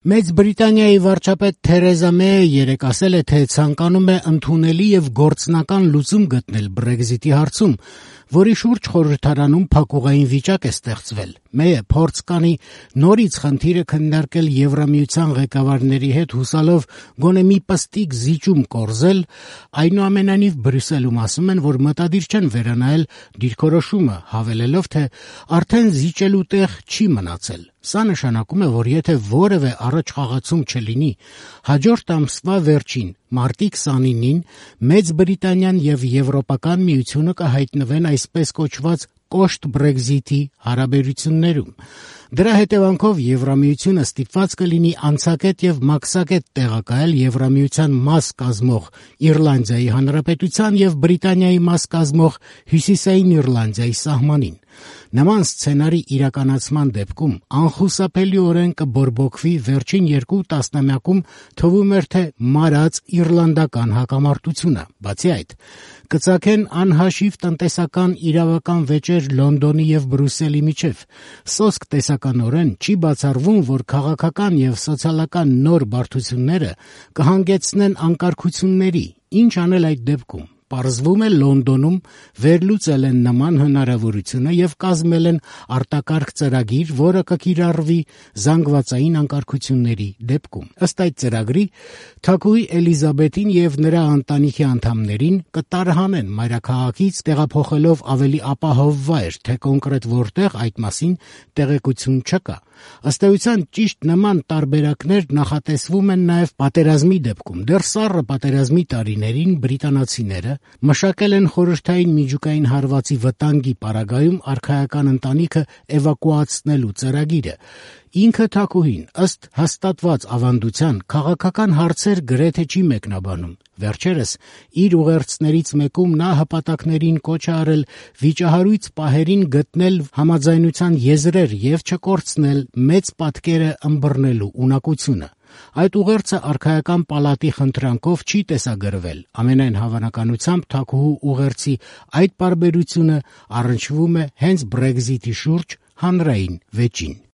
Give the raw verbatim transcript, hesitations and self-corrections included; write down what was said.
Մեծ Բրիտանիայի վարչապետ Թերեզա Մեյը երեկ ասել է, թե ցանկանում է ընդունելի եւ գործնական լուծում գտնել Բրեքզիտի հարցում, որի շուրջ խորհրդարանում փակուղային վիճակ է ստեղծվել։ Մեյը փորձ կանի նորից խնդիրը քննարկել Եվրամիության ղեկավարների հետ, հուսալով գոնե մի պստիկ զիջում կորզել, այնուամենայնիվ Բրյուսելում ասում են, որ մտադիր չեն վերանայել դիրքորոշումը, հավելելով, թե արդեն զիջելու տեղ չի մնացել։ Սա նշանակում է, որ եթե որևէ առաջխաղացում չլինի, հաջորդ ամսվա վերջին մարտի քսանինին Մեծ Բրիտանիան եւ Եվրոպական միությունը կհայտնվեն այսպես կոչված կոշտ Բրեքզիտի հարաբերություններում։ Դրա հետևանքով Եվրամիությունը ստիպված կլինի անցակետ եւ մաքսակետ տեղակայել Եվրամիության մաս կազմող Իռլանդիայի Հանրապետության եւ Բրիտանիայի մաս կազմող Հյուսիսային Իռլանդիայի սահմանին։ Նման սցենարի իրականացման դեպքում անխուսափելիորեն կբորբոքվի վերջին երկու տասնամյակում թվում էր, թե մարած իռլանդական հակամարտությունը։ Բացի այդ, կծագեն անհաշիվ տնտեսական իրավական վեճեր Լոնդոնի եւ Բրյուսելի միջև։ Սոսկ տեսականորեն չի բացառվում, որ քաղաքական եւ սոցիալական նոր բարդությունները կհանգեցնեն անկարգությունների։ Ինչ անել այդ դեպքում։ Պարզվում է Լոնդոնում վերլուծել են նման հնարավորությունը եւ կազմել են արտակարգ ծրագիր, որը կկիրառվի զանգվածային անկարգությունների դեպքում։ Ըստ այդ ծրագրի, թագուհի Էլիզաբեթին եւ նրա ընտանիքի անդամներին կտարհանեն մայրաքաղաքից, տեղափոխելով ավելի ապահով վայր, թե կոնկրետ որտեղ այդ մասին տեղեկություն չկա։ Ըստ էության ճիշտ նման տարբերակներ նախատեսվում են նաև պատերազմի դեպքում։ Դեռ սառը պատերազմի տարիներին բրիտանացիները մշակել են խորհրդային միջուկային հարվածի վտանգի պարագայում արքայական ընտանիքը էվակուացնելու ծրագիրը։ Ինքը թագուհին, ըստ հաստատված ավանդության, քաղաքական հարցեր գրեթե չի մեկնաբանում։ Վերջերս իր ուղերձներից մեկում նա հպատակներին կոչ է արել վիճահարույց պահերին գտնել համաձայնության եզրեր եւ չկորցնել մեծ պատկերը ըմբռնելու ունակությունը։ Այդ ուղերձը արքայական պալատի խնդրանքով չի տեսագրվել։ Ամենայն հավանականությամբ թագուհու ուղերձի այդ պարբերությունը առնչվում է հենց Բրեքզիտի շուրջ հանրային վեճին։